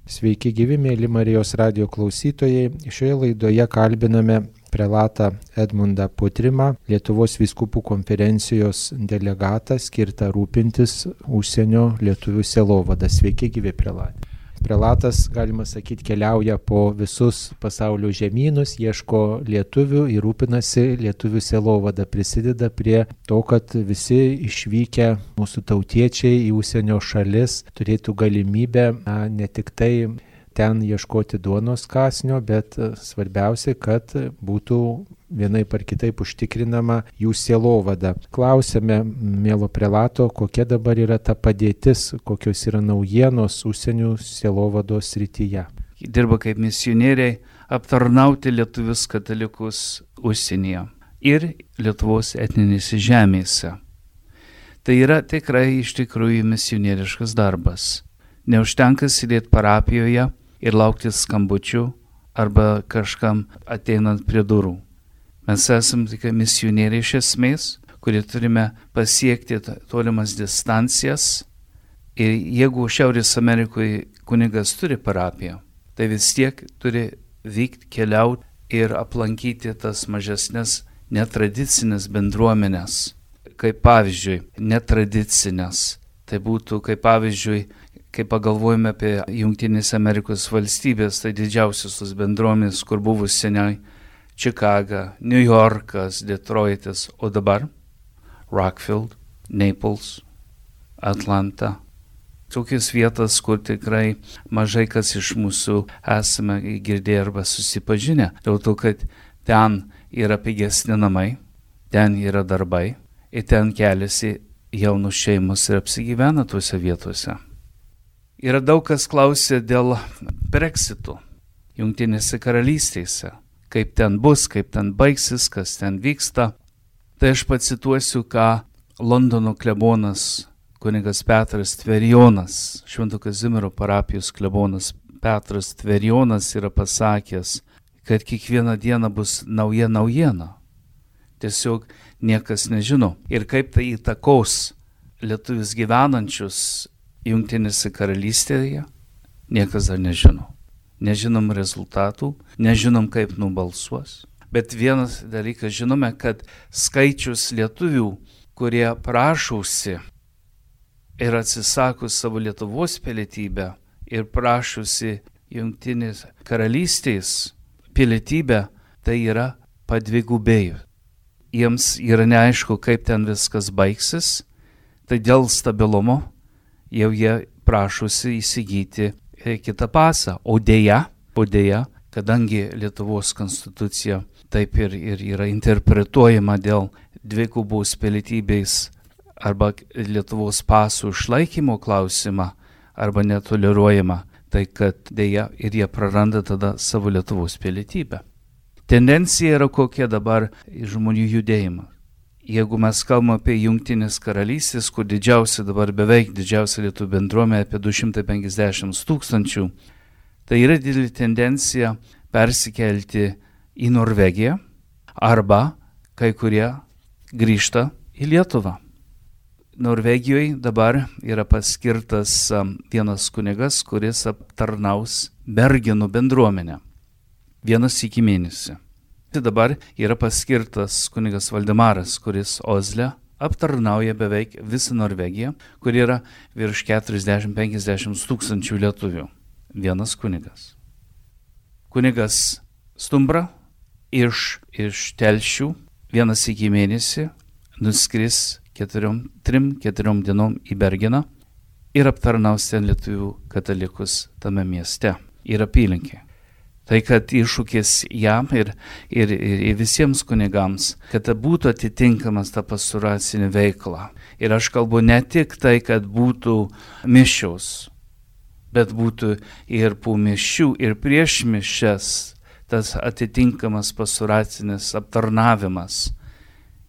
Sveiki gyvi, mėly Marijos radijo klausytojai. Šioje laidoje kalbiname prelatą Edmundą Putrimą, Lietuvos vyskupų konferencijos delegatą skirtą rūpintis užsienio lietuvių sielovada. Sveiki gyvi, prelatė. Prelatas, galima sakyti, keliauja po visus pasaulio žemynus, ieško lietuvių ir rūpinasi lietuvių sielovada, prisideda prie to, kad visi išvykę mūsų tautiečiai į užsienio šalis turėtų galimybę ne tik tai ten ieškoti duonos kąsnio, bet svarbiausia, kad būtų vienaip ar kitaip užtikrinama jų sielovada. Klausėme mielo prelato, kokia dabar yra ta padėtis, kokios yra naujienos užsienio sielovados srityje. Dirba kaip misionieriai aptarnauti lietuvius katalikus užsienyje ir Lietuvos etninėse žemėse. Tai yra tikrai iš tikrųjų misionieriškas darbas. Neužtenka sėdėti parapijoje ir laukti skambučių arba kažkam ateinant prie durų. Mes esame tik misionieriai iš esmės, kurie turime pasiekti tolimas distancijas. Ir jeigu Šiaurės Amerikoje kunigas turi parapiją, tai vis tiek turi vykti, keliauti ir aplankyti tas mažesnes netradicinės bendruomenės. Kaip pavyzdžiui, netradicinės. Tai būtų kaip pavyzdžiui, kai pagalvojame apie Jungtinės Amerikos valstybės, tai didžiausios tos bendruomenės, kur buvo seniai Čikaga, New Yorkas, Detroitas, o dabar Rockfield, Naples, Atlanta. Tokios vietos, kur tikrai mažai kas iš mūsų esame girdėję arba susipažinę. Dėl to, kad ten yra pigesni namai, ten yra darbai ir ten keliasi jaunų šeimos ir apsigyvena tuose vietose. Yra daug kas klausė dėl Brexito Jungtinėse karalystėse, kaip ten bus, kaip ten baigsis, kas ten vyksta. Tai aš pacituosiu, ką Londono klebonas kunigas Petras Tverijonas, Švento Kazimiero parapijos klebonas Petras Tverijonas yra pasakęs, kad kiekvieną dieną bus nauja naujiena. Tiesiog niekas nežino. Ir kaip tai įtakos lietuvius gyvenančius Jungtinėse karalystėje, niekas dar nežino. Nežinom rezultatų, nežinom kaip nubalsuos. Bet vienas dalykas žinome, kad skaičius lietuvių, kurie prašausi ir atsisako savo Lietuvos pilietybę ir prašausi Jungtinės karalystės pilietybę, tai yra padvigubėjo. Jiems yra neaišku, kaip ten viskas baigsis, tai dėl stabilumo jau jie prašosi įsigyti kitą pasą. O deja, kadangi Lietuvos konstitucija taip ir yra interpretuojama dėl dvigubos pilietybės arba Lietuvos pasų išlaikymo klausimą arba netoleruojama, tai kad deja ir jie praranda tada savo Lietuvos pilietybę. Tendencija yra kokia dabar žmonių judėjimą. Jeigu mes kalbame apie Jungtinės karalystės, kur beveik didžiausia lietuvių bendruomenė, apie 250 000, tai yra didelė tendencija persikelti į Norvegiją arba kai kurie grįžta į Lietuvą. Norvegijoje dabar yra paskirtas vienas kunigas, kuris aptarnaus Bergenų bendruomenę. Vienas iki mėnesį. Tai dabar yra paskirtas kunigas Valdemaras, kuris Osle aptarnauja beveik visą Norvegiją, kur yra virš 40-50 000 lietuvių. Vienas kunigas. Kunigas Stumbra iš Telšių vienas iki mėnesį nuskris 3-4 dienom į Bergeną ir aptarnaus ten lietuvių katalikus tame mieste ir apylinkė. Tai kad iššūkis jam ir visiems kunigams, kad būtų atitinkamas ta pastoracinė veikla. Ir aš kalbu ne tik tai, kad būtų mišios, bet būtų ir po mišių, ir prieš mišias tas atitinkamas pastoracinis aptarnavimas,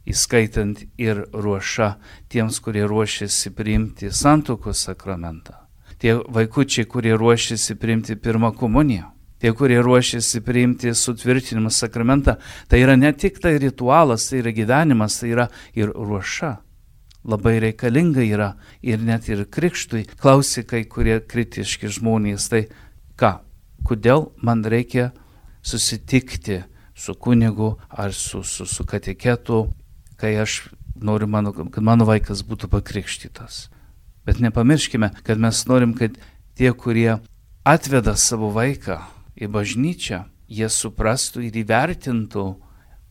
įskaitant ir ruošą tiems, kurie ruošiasi priimti santuokos sakramentą. Tie vaikučiai, kurie ruošiasi priimti pirmą komuniją. Tie, kurie ruošiasi priimti sutvirtinimo sakramentą, tai yra ne tik tai ritualas, tai yra gyvenimas, tai yra ir ruoša. Labai reikalinga yra ir net ir krikštui. Klausia kai kurie kritiški žmonės, tai Kodėl man reikia susitikti su kunigu ar su kateketu, kai aš noriu, kad mano vaikas būtų pakrikštytas. Bet nepamirškime, kad mes norim, kad tie, kurie atveda savo vaiką į bažnyčią, jie suprastų ir įvertintų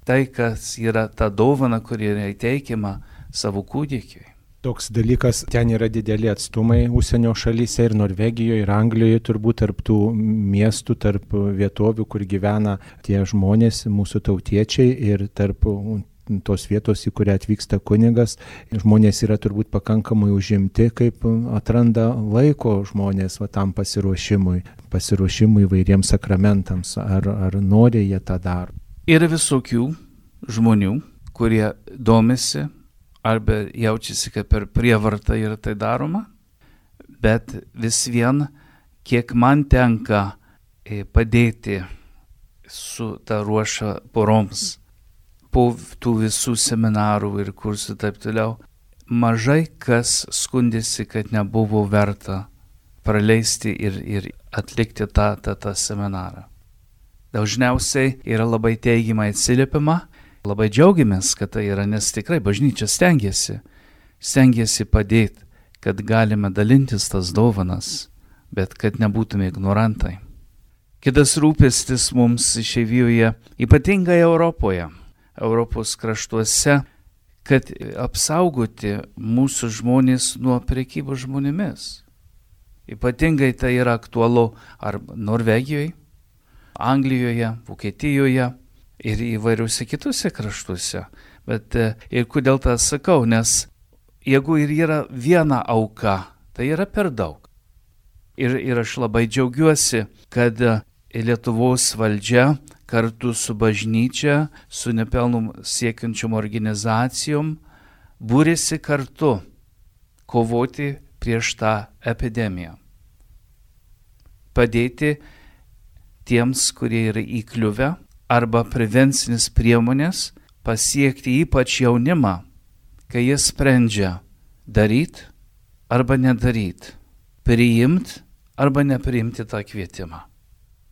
tai, kas yra ta dovana, kuri yra įteikiama savo kūdikiui. Toks dalykas, ten yra dideli atstumai užsienio šalyse ir Norvegijoje, ir Anglijoje, turbūt tarp tų miestų, tarp vietovių, kur gyvena tie žmonės, mūsų tautiečiai, ir tarp tos vietos, į kurią atvyksta kunigas. Žmonės yra turbūt pakankamai užimti, kaip atranda laiko žmonės tam pasiruošimui įvairiems sakramentams, ar nori jie tą daro. Yra visokių žmonių, kurie domisi arba jaučiasi, kad per prievartą yra tai daroma, bet vis vien, kiek man tenka padėti su ta ruoša poroms, po tų visų seminarų ir kursų taip toliau, mažai kas skundėsi, kad nebuvo verta praleisti ir atlikti tą seminarą. Dažniausiai yra labai teigiamai atsiliepima, labai džiaugiamės, kad tai yra, nes tikrai bažnyčia stengiasi padėti, kad galime dalintis tas dovanas, bet kad nebūtume ignorantai. Kitas rūpestis mums išeivijoje, ypatingai Europos kraštuose, kad apsaugoti mūsų žmonės nuo prekybos žmonėmis. Ypatingai tai yra aktualu ar Norvegijoje, Anglijoje, Vokietijoje ir įvairiuose kitose kraštuose. Bet ir kodėl tą sakau, nes jeigu ir yra viena auka, tai yra per daug. Ir aš labai džiaugiuosi, kad Lietuvos valdžia kartu su bažnyčia, su nepelnų siekiančiom organizacijom būrėsi kartu kovoti prieš tą epidemiją. Padėti tiems, kurie yra įkliuvę, arba prevencinis priemonės pasiekti ypač jaunimą, kai jie sprendžia daryti arba nedaryti, priimti arba nepriimti tą kvietimą.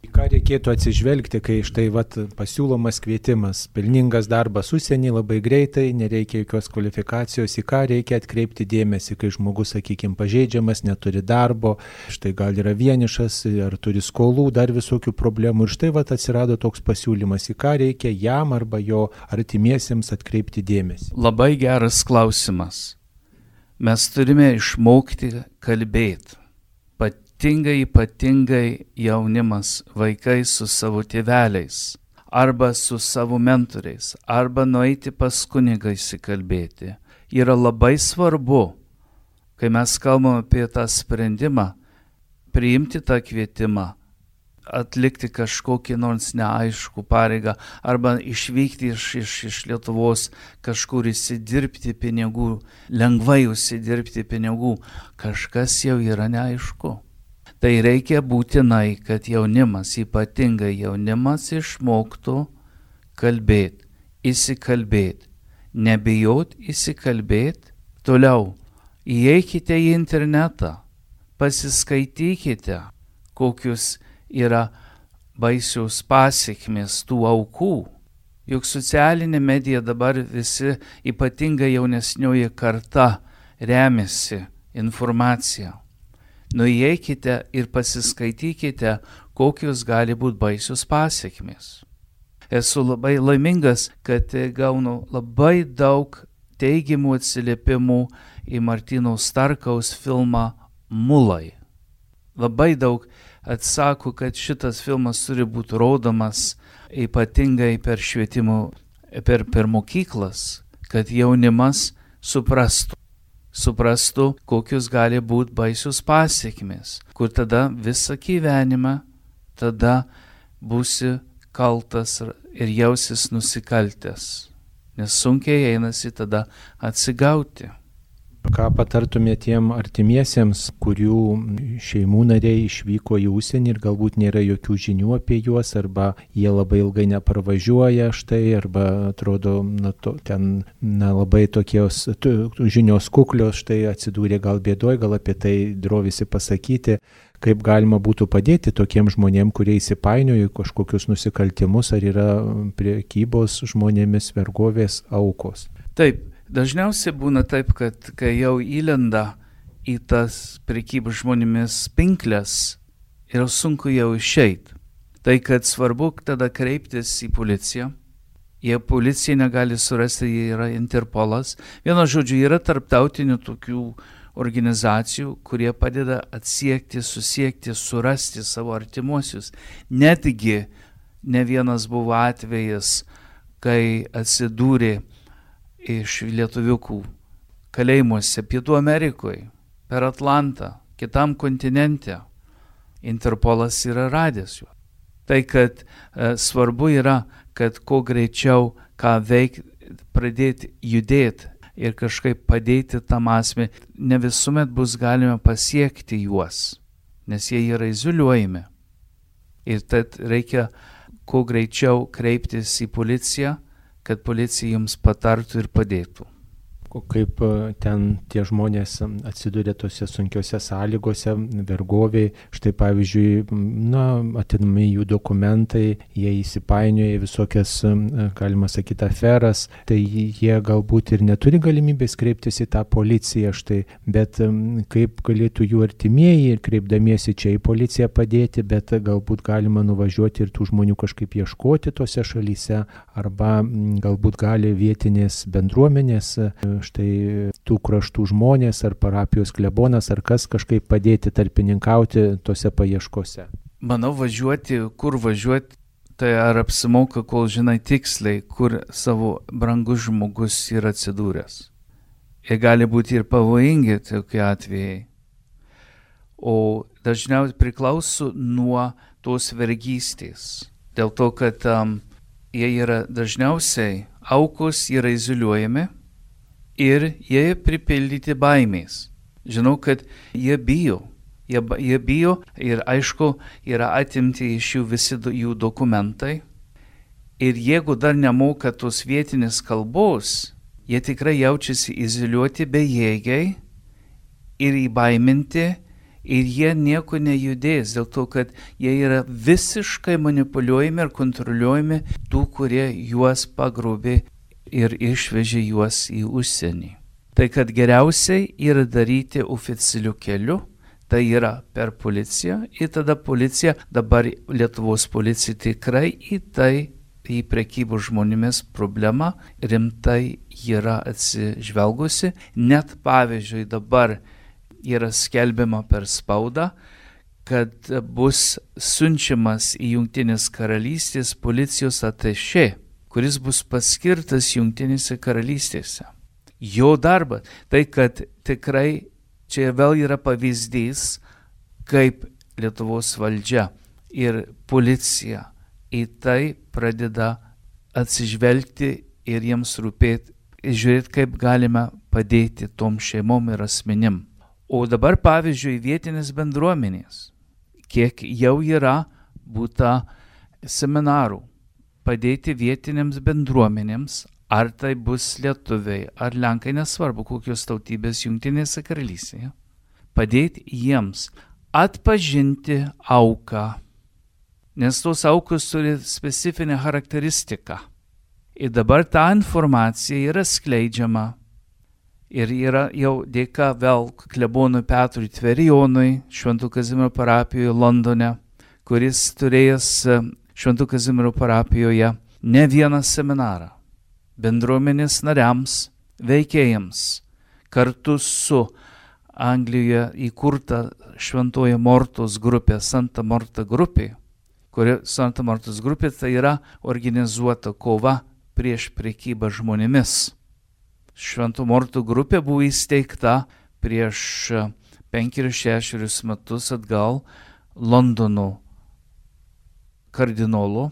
Į ką reikėtų atsižvelgti, kai štai pasiūlomas kvietimas, pelningas darbas užsienį labai greitai, nereikia jokios kvalifikacijos, į ką reikia atkreipti dėmesį, kai žmogus, sakykime, pažeidžiamas, neturi darbo, štai gal yra vienišas, ar turi skolų, dar visokių problemų, ir štai atsirado toks pasiūlymas, į ką reikia jam arba jo artimiesiems atkreipti dėmesį. Labai geras klausimas. Mes turime išmokti kalbėti. Ypatingai jaunimas, vaikai su savo tėveliais, arba su savo mentoriais, arba nueiti pas kunigą įsikalbėti. Yra labai svarbu, kai mes kalbame apie tą sprendimą, priimti tą kvietimą, atlikti kažkokį nors neaiškų pareigą, arba išvykti iš Lietuvos kažkur įsidirbti pinigų, lengvai užsidirbti pinigų, kažkas jau yra neaišku. Tai reikia būtinai, kad jaunimas, ypatingai jaunimas, išmoktų kalbėti, įsikalbėti, nebijot įsikalbėti. Toliau, įeikite į internetą, pasiskaitykite, kokius yra baisios pasekmės tų aukų. Juk socialinė medija dabar visi, ypatingai jaunesnioji karta, remiasi informacija. Nueikite ir pasiskaitykite, kokios gali būti baisios pasekmės. Esu labai laimingas, kad gaunu labai daug teigiamų atsiliepimų į Martyno Starkaus filmą Mulai. Labai daug atsako, kad šitas filmas turi būti rodomas ypatingai per švietimo, per mokyklas, kad jaunimas suprastų, kokius gali būti baisios pasekmės, kur tada visą gyvenimą tada būsi kaltas ir jausis nusikaltęs, nes sunkiai einasi tada atsigauti. Ką patartumė tiem artimiesiems, kurių šeimų nariai išvyko į užsienį ir galbūt nėra jokių žinių apie juos, arba jie labai ilgai neparvažiuoja štai, arba atrodo, ten labai tokios žinios kuklios, štai atsidūrė gal bėdoj, gal apie tai drovisi pasakyti. kaip galima būtų padėti tokiem žmonėm, kurie įsipainioja į kažkokius nusikaltimus, ar yra prekybos žmonėmis, vergovės aukos. Taip, dažniausiai būna taip, kad kai jau įlenda į tas prekybos žmonėmis pinklės, yra sunku jau išeiti. Tai kad svarbu tada kreiptis į policiją. Jie policija negali surasti, jie yra Interpolas. Vienu žodžiu, yra tarptautinių tokių organizacijų, kurie padeda atsiekti, susiekti, surasti savo artimuosius. Netgi ne vienas buvo atvejis, kai atsidūrė iš lietuviukų kalėjimuose Pietų Amerikoje, per Atlantą, kitam kontinente. Interpolas yra radęs juos. Tai, kad svarbu yra, kad kuo greičiau ką veikti, pradėti judėti ir kažkaip padėti tam asmeniui. Ne visuomet bus galima pasiekti juos, nes jie yra izoliuojami. Ir tad reikia kuo greičiau kreiptis į policiją, kad policija jums patartų ir padėtų. Kaip ten tie žmonės atsiduria tose sunkiose sąlygose, vergoviai, štai pavyzdžiui, atimami jų dokumentai, jie įsipainioja visokias, galima sakyti, aferas, tai jie galbūt ir neturi galimybės kreiptis į tą policiją, štai, bet kaip galėtų jų artimieji, kreipdamiesi čia į policiją padėti, bet galbūt galima nuvažiuoti ir tų žmonių kažkaip ieškoti tose šalyse, arba galbūt gali vietinės bendruomenės, štai tų kraštų žmonės ar parapijos klebonas ar kas kažkaip padėti tarpininkauti tose paieškose. Manau, kur važiuoti, tai ar apsimoka, kol žinai tiksliai, kur savo brangus žmogus yra atsidūręs. Jie gali būti ir pavojingi tokie atvejai. O dažniausiai priklauso nuo tos vergystės. Dėl to, kad jie yra dažniausiai aukos, yra izoliuojami, ir jie pripildyti baimės. Žinau, kad jie bijo. Jie bijo ir aišku, yra atimti iš jų visi jų dokumentai. Ir jeigu dar nemoka tos vietinės kalbos, jie tikrai jaučiasi izoliuoti bejėgiai ir įbaiminti, ir jie nieko nejudės, dėl to, kad jie yra visiškai manipuliuojami ir kontroliuojami tų, kurie juos pagrobė ir išvežė juos į užsienį. Tai kad geriausiai yra daryti oficialiu keliu, tai yra per policiją, ir tada policija, dabar Lietuvos policija tikrai į prekybos žmonėmis problemą rimtai yra atsižvelgusi. Net pavyzdžiui dabar yra skelbiama per spaudą, kad bus siunčiamas į Jungtinės karalystės policijos atašė, kuris bus paskirtas Jungtinėse karalystėse. Jo darbas, tai kad tikrai čia vėl yra pavyzdys, kaip Lietuvos valdžia ir policija į tai pradeda atsižvelgti ir jiems rūpėti, žiūrėti, kaip galima padėti tom šeimom ir asmenim. O dabar, pavyzdžiui, vietinės bendruomenės, kiek jau yra būta seminarų, padėti vietinėms bendruomenėms, ar tai bus lietuviai, ar lenkai, nesvarbu, kokios tautybės Jungtinėse karalystėje, padėti jiems atpažinti auką, nes tos aukos turi specifinę charakteristiką. Ir dabar ta informacija yra skleidžiama ir yra jau dėka vėl klebonui Petrui Tverijonui, Šventų Kazimiero parapijoje Londone, kuris turėjęs Šventų Kazimiero parapijoje ne vieną seminarą bendruomenės nariams, veikėjams, kartu su Anglijoje įkurta Šventoji Mortos grupė, Santa Morta grupė, kuri Santa Mortos grupė tai yra organizuota kova prieš prekybą žmonėmis. Šventų Mortų grupė buvo įsteigta prieš 5-6 metus atgal Londono kardinolų,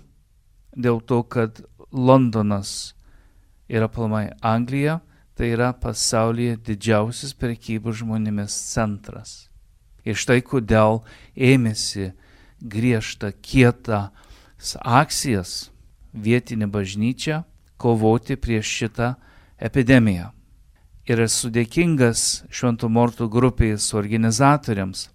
dėl to, kad Londonas yra aplamai Anglija, tai yra pasaulyje didžiausias prekybos žmonėmis centras. Ir štai kodėl ėmėsi griežtą, kietą akcijas vietinė bažnyčia kovoti prieš šitą epidemiją. Ir esu dėkingas Šventų Mortų grupės organizatoriams,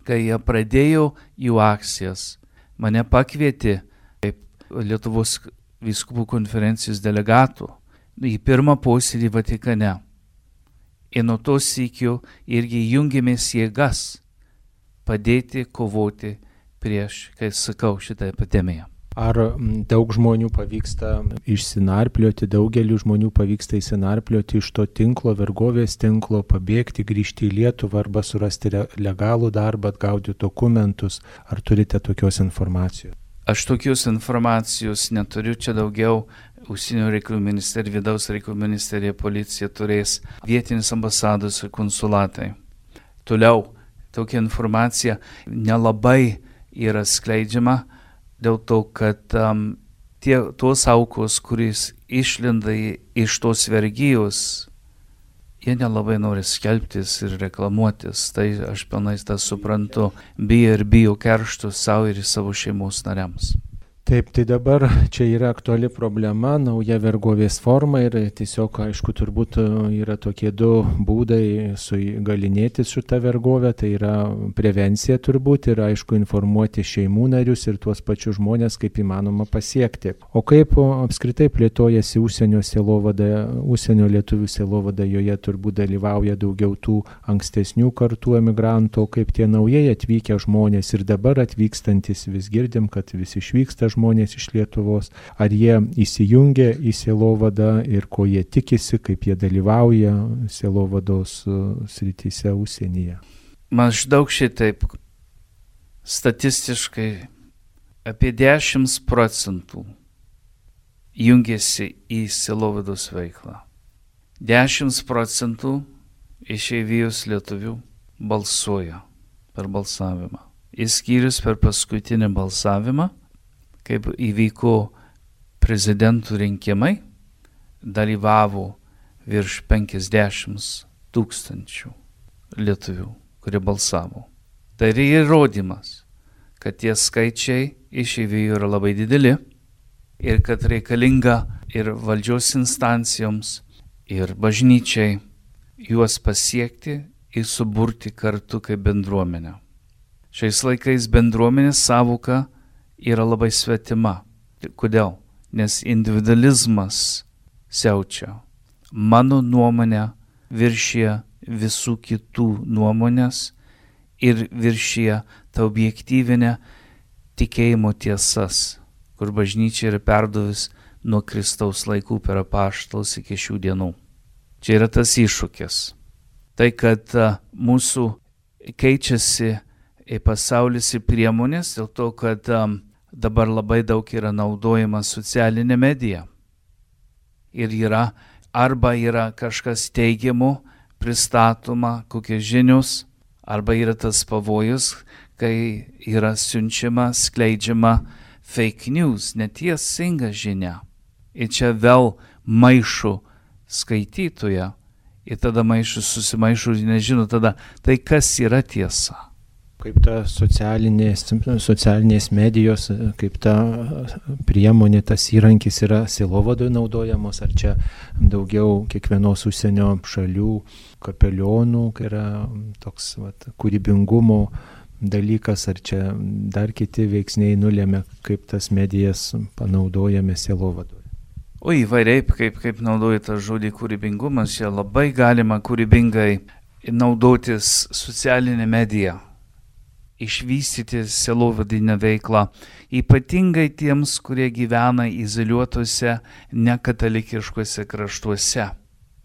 kai jie pradėjo jų akcijas, mane pakvietė kaip Lietuvos vyskupų konferencijos delegatų į pirmą posėdį Vatikane. Ir nuo to sykio irgi jungėmės jėgas padėti kovoti prieš, kai sakau, šitą epidemiją. Ar daug žmonių pavyksta išsinarplioti, daugeliu žmonių pavyksta išsinarplioti iš to tinklo, vergovės tinklo, pabėgti, grįžti į Lietuvą arba surasti legalų darbą, atgauti dokumentus? Ar turite tokios informacijos? Aš tokios informacijos neturiu, čia daugiau Užsienio reikalų ministerija, vidaus reikalų ministerija, policija turės, vietinis ambasados ir konsulatai. Toliau, tokia informacija nelabai yra skleidžiama dėl to, kad tos aukos, kuris išlenda iš tos vergijos, jie nelabai nori skelbtis ir reklamuotis. Tai aš pilnai tą suprantu, bijo keršto savo ir savo šeimos nariams. Taip, tai dabar čia yra aktuali problema, nauja vergovės forma ir tiesiog, aišku, turbūt yra tokie du būdai sugalinėti šitą vergovę, tai yra prevencija turbūt ir, aišku, informuoti šeimų narius ir tuos pačius žmonės, kaip įmanoma pasiekti. O kaip apskritai plėtojasi užsienio sielovada, užsienio lietuvių sielovada, joje turbūt dalyvauja daugiau tų ankstesnių kartų emigrantų, kaip tie naujai atvykę žmonės ir dabar atvykstantis, vis girdim, kad vis išvyksta žmonės iš Lietuvos, ar jie įsijungia į sielovadą ir ko jie tikisi, kaip jie dalyvauja sielovados srityse užsienyje. Maždaug šitaip statistiškai apie 10% jungiasi į sielovados veiklą. 10% išeivijos lietuvių balsuoja per balsavimą. Išskyrus per paskutinį balsavimą, kaip įvyko prezidentų rinkimai, dalyvavo virš 50 000 lietuvių, kurie balsavo. Tai yra įrodymas, kad tie skaičiai išeivijų yra labai dideli ir kad reikalinga ir valdžios instancijoms, ir bažnyčiai juos pasiekti ir suburti kartu kaip bendruomenę. Šiais laikais bendruomenės sąvoka yra labai svetima. Kodėl? Nes individualizmas siaučia. Mano nuomonė viršyje visų kitų nuomonės ir viršyje tą objektyvinę tikėjimo tiesas, kur bažnyčia yra perduvis nuo Kristaus laikų per apaštalus iki šių dienų. Čia yra tas iššūkis. Tai, kad mūsų keičiasi pasaulis ir priemonės, dėl to, kad dabar labai daug yra naudojama socialinė medija. Ir arba yra kažkas teigiamo, pristatoma, kokios žinios, arba yra tas pavojus, kai yra siunčiama, skleidžiama fake news, neteisinga žinia. Ir čia vėl maišo skaitytoją. Ir tada susimaišo ir nežino tada, tai kas yra tiesa. Kaip ta socialinės medijos, kaip ta priemonė, tas įrankis yra sielovadoje naudojamos, ar čia daugiau kiekvienos užsienio šalių kapelionų, kai yra toks kūrybingumo dalykas, ar čia dar kiti veiksniai nulėmė, kaip tas medijas panaudojame sielovadoje? O įvairiai, kaip naudoja tą žodį kūrybingumas, čia labai galima kūrybingai naudotis socialinę mediją, išvystyti sielovadinę veiklą, ypatingai tiems, kurie gyvena izoliuotose, nekatalikiškuose kraštuose.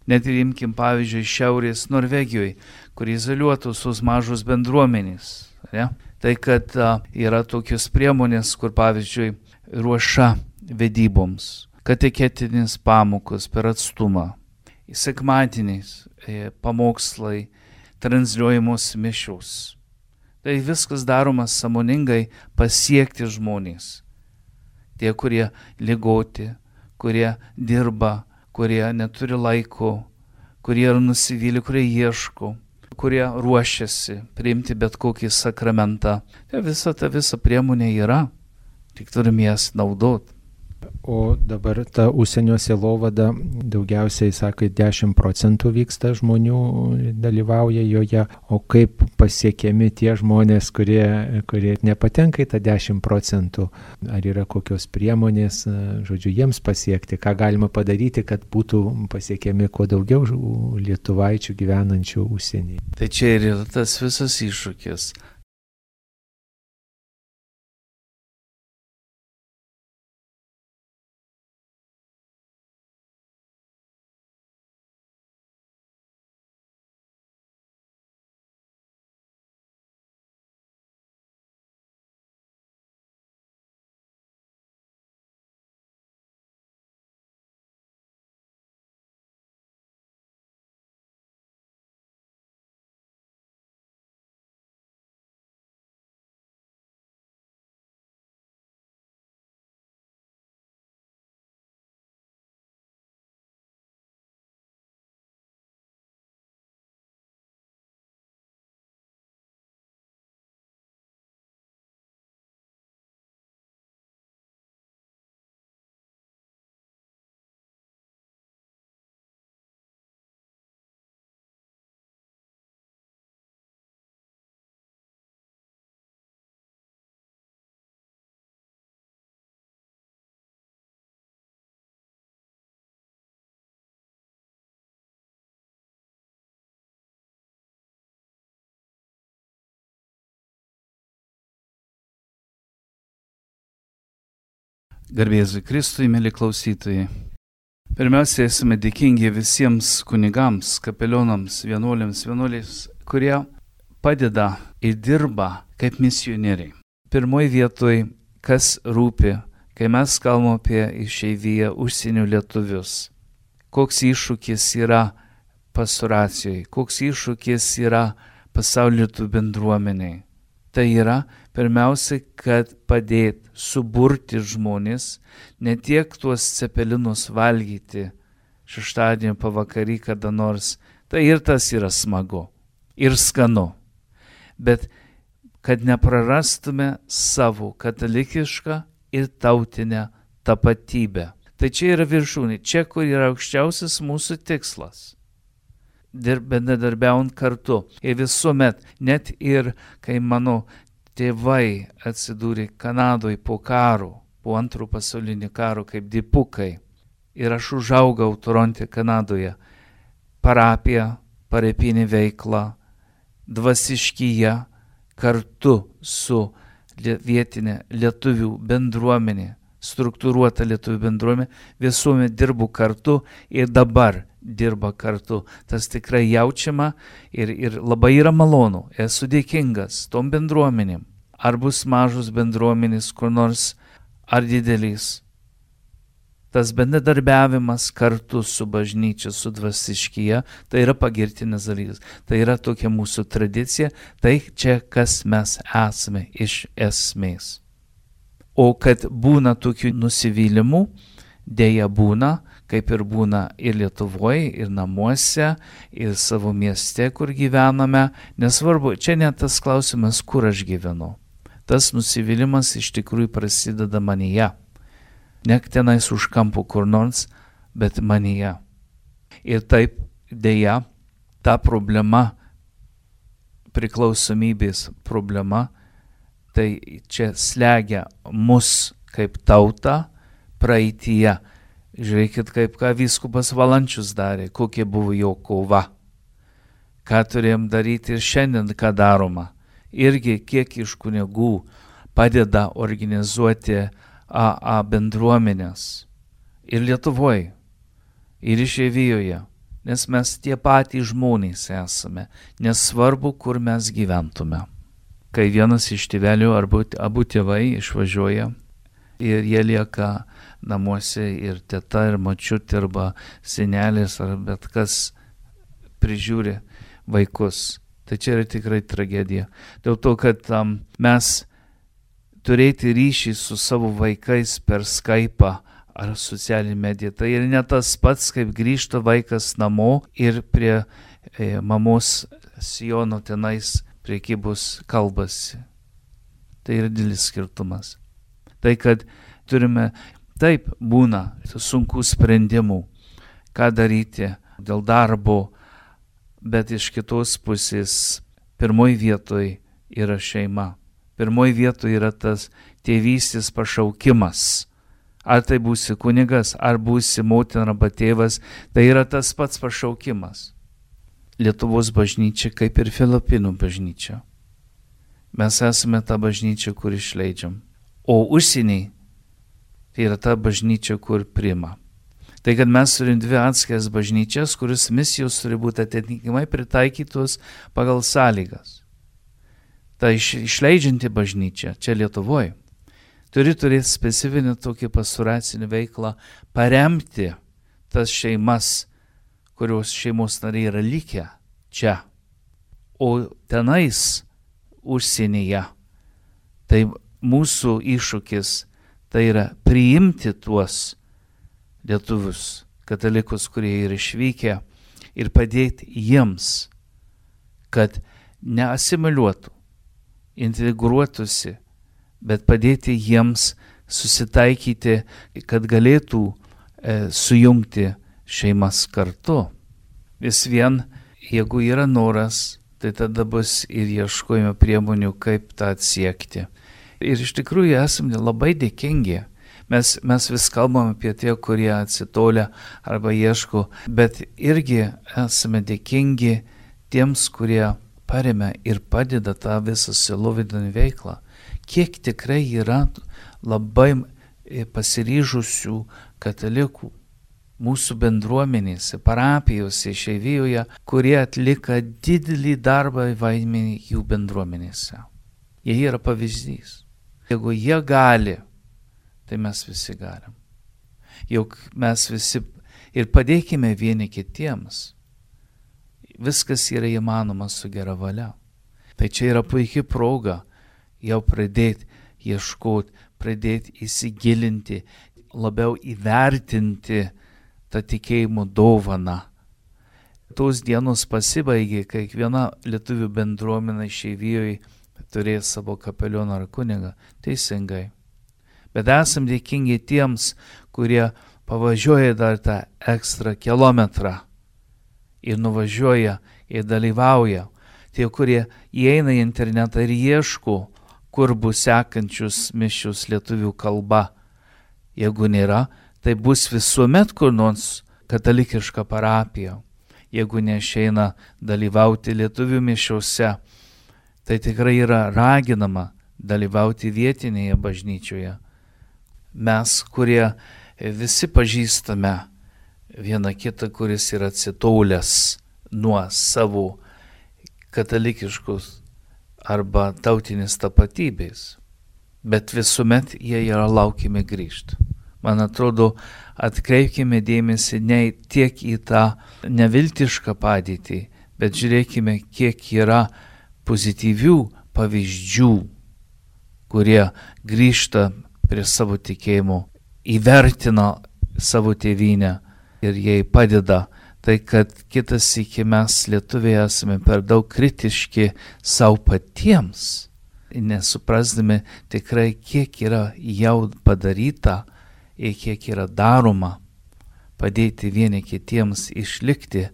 Net ir imkim pavyzdžiui Šiaurės Norvegijoje, kur izoliuotos mažos bendruomenės. Ne? Tai, kad yra tokios priemonės, kur pavyzdžiui ruoša vedyboms, katechetinis pamokos per atstumą, sekmadieniais pamokslai, transliuojamos mišios. Tai viskas daroma sąmoningai pasiekti žmonės. Tie, kurie ligoti, kurie dirba, kurie neturi laiko, kurie yra nusivylę, kurie ieško, kurie ruošiasi priimti bet kokį sakramentą. Tai visa priemonė yra, tik turim jas naudoti. O dabar ta užsienio sielovada daugiausiai, sakai, 10% vyksta žmonių dalyvauja joje, o kaip pasiekiami tie žmonės, kurie nepatenka į tą 10%? Ar yra kokios priemonės, žodžiu, jiems pasiekti, ką galima padaryti, kad būtų pasiekiami kuo daugiau lietuvaičių gyvenančių užsienyje? Tai čia ir yra tas visas iššūkis. Garbėzui Kristui, mėly klausytojai. Pirmiausia, esame dėkingi visiems kunigams, kapelionams, vienuolėms, kurie padeda ir dirba kaip misionieriai. Pirmoji vietoj, kas rūpi, kai mes kalbame apie išeiviją užsienio lietuvius. Koks iššūkis yra pastoracijai, koks iššūkis yra pasaulio lietuvių bendruomeniai. Tai yra pirmiausia, kad padėti suburti žmonės, ne tiek tuos cepelinus valgyti šeštadienio pavakarį kada nors, tai ir tas yra smagu ir skanu, bet kad neprarastume savo katalikišką ir tautinę tapatybę. Tai čia yra viršūnė, čia kur yra aukščiausias mūsų tikslas. Bendradarbiaujant kartu. Ir visuomet, net ir kai mano tėvai atsidūrė Kanadoje po karo, po antro pasaulinio karo kaip dipukai, ir aš užaugau Toronte, Kanadoje, parapija, parapinė veikla, dvasiškyje, kartu su vietinė lietuvių bendruomenė, struktūruota lietuvių bendruomenė, visuomet dirbu kartu ir dabar dirba kartu. Tas tikrai jaučiama ir labai yra malonu. Esu dėkingas tom bendruomenėm. Ar bus mažos bendruomenės, kur nors, ar didelės. Tas bendradarbiavimas kartu su bažnyčia, su dvasiškyje, tai yra pagirtinas dalykas. Tai yra tokia mūsų tradicija, tai čia kas mes esame iš esmės. O kad būna tokių nusivylimų, dėja būna, kaip ir būna ir Lietuvoje, ir namuose, ir savo mieste, kur gyvename. Nesvarbu, čia net tas klausimas, kur aš gyvenu. Tas nusivylimas iš tikrųjų prasideda manyje. Ne tenais už kampų kur nors, bet manyje. Ir taip, dėja, ta problema, priklausomybės problema, tai čia slegia mus kaip tautą praeityje. Žiūrėkit, kaip ką vyskupas Valančius darė, kokia buvo jo kova. Ką turėjom daryti ir šiandien, ką daroma. Irgi kiek iš kunigų padeda organizuoti AA bendruomenės. Ir Lietuvoje, ir išeivijoje. Nes mes tie patys žmonės esame. Nesvarbu, kur mes gyventume. Kai vienas iš tėvelių arba abu tėvai išvažiuoja ir jie lieka namuose ir teta ir močiutė arba senelis ar bet kas prižiūri vaikus. Tai čia yra tikrai tragedija. Dėl to, kad mes turėti ryšį su savo vaikais per Skype'ą ar socialinį mediją, tai ir ne tas pats, kaip grįžta vaikas namo ir prie mamos sijono tenais priekybos kalbasi. Tai yra didelis skirtumas. Tai, kad turime Taip, būna sunkių sprendimų, ką daryti dėl darbo, bet iš kitos pusės pirmoji vietoje yra šeima. Pirmoji vietoje yra tas tėvystės pašaukimas. Ar tai būsi kunigas, ar būsi motina arba tėvas, tai yra tas pats pašaukimas. Lietuvos bažnyčia kaip ir Filipinų bažnyčia. Mes esame ta bažnyčia, kur išleidžiam. O užsieniai tai yra ta bažnyčia, kur priima. Tai kad mes turim dvi atskiras bažnyčias, kuris misijos turi būti atitinkamai pritaikytos pagal sąlygas. Ta išleidžianti bažnyčia čia Lietuvoje turi turėti specifinį tokį pastoracinį veiklą, paremti tas šeimas, kurios šeimos nariai yra likę čia. O tenais užsienyje, tai mūsų iššūkis tai yra priimti tuos lietuvius, katalikus, kurie yra išvykę ir padėti jiems, kad neasimiliuotų, integruotųsi, bet padėti jiems susitaikyti, kad galėtų sujungti šeimas kartu. Vis vien, jeigu yra noras, tai tada bus ir ieškojimo priemonių, kaip tą atsiekti. Ir iš tikrųjų esame labai dėkingi. Mes vis kalbam apie tie, kurie atsitolia arba ieško, bet irgi esame dėkingi tiems, kurie paremia ir padeda tą visą sielovadinę veiklą. Kiek tikrai yra labai pasiryžusių katalikų mūsų bendruomenėse, parapijose, išeivijoje, kurie atlika didelį darbą vaidmenį jų bendruomenėse. Jie yra pavyzdys. Jeigu jie gali, tai mes visi galim. Juk mes visi ir padėkime vieni kitiems. Viskas yra įmanoma su gera valia. Tai čia yra puikia proga jau pradėti ieškoti, pradėti įsigilinti, labiau įvertinti tą tikėjimo dovaną. Tos dienos pasibaigė, kai kiekviena lietuvių bendruomenė išeivijoje turės savo kapelioną ar kunigą. Teisingai. Bet esam dėkingi tiems, kurie pavažiuoja dar tą ekstra kilometrą ir nuvažiuoja ir dalyvauja. Tie, kurie įeina į internetą ir ieško, kur bus sekančius mišios lietuvių kalba. Jeigu nėra, tai bus visuomet kur nors katalikiška parapija. Jeigu neišeina dalyvauti lietuvių mišiose, tai tikrai yra raginama dalyvauti vietinėje bažnyčioje. Mes, kurie visi pažįstame vieną kitą, kuris yra atsitolęs nuo savo katalikiškos arba tautinės tapatybės, bet visuomet jie yra laukiami grįžti. Man atrodo, atkreipkime dėmesį ne tiek į tą neviltišką padėtį, bet žiūrėkime, kiek yra pozityvių pavyzdžių, kurie grįžta prie savo tikėjimo, įvertina savo tėvynę ir jai padeda. Tai kad kitas iki mes lietuviai esame per daug kritiški savo patiems, nesuprasdami tikrai, kiek yra jau padaryta ir kiek yra daroma padėti vieni kitiems išlikti,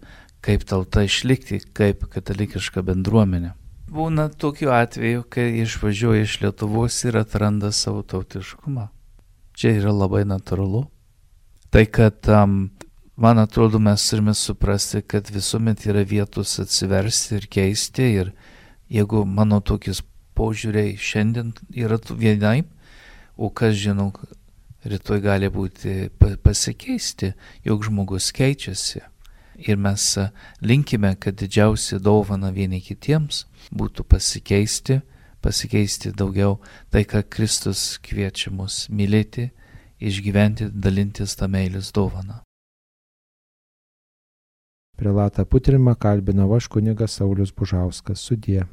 kaip tauta išlikti, kaip katalikiška bendruomenė. Būna tokiu atveju, kai išvažiuoja iš Lietuvos ir atranda savo tautiškumą. Čia yra labai natūralu. Tai kad man atrodo, mes turime suprasti, kad visuomet yra vietos atsiversti ir keisti. Ir jeigu mano tokius požiūriai šiandien yra vienaip, o kas žinau, rytoj gali būti pasikeisti, jog žmogus keičiasi. Ir mes linkime, kad didžiausia dovana vieni kitiems būtų pasikeisti daugiau tai, ką Kristus kviečia mus mylėti, išgyventi, dalintis tą meilės dovaną. Prelatą Putrimą kalbino aš kunigas Saulius Bužauskas. Sudie.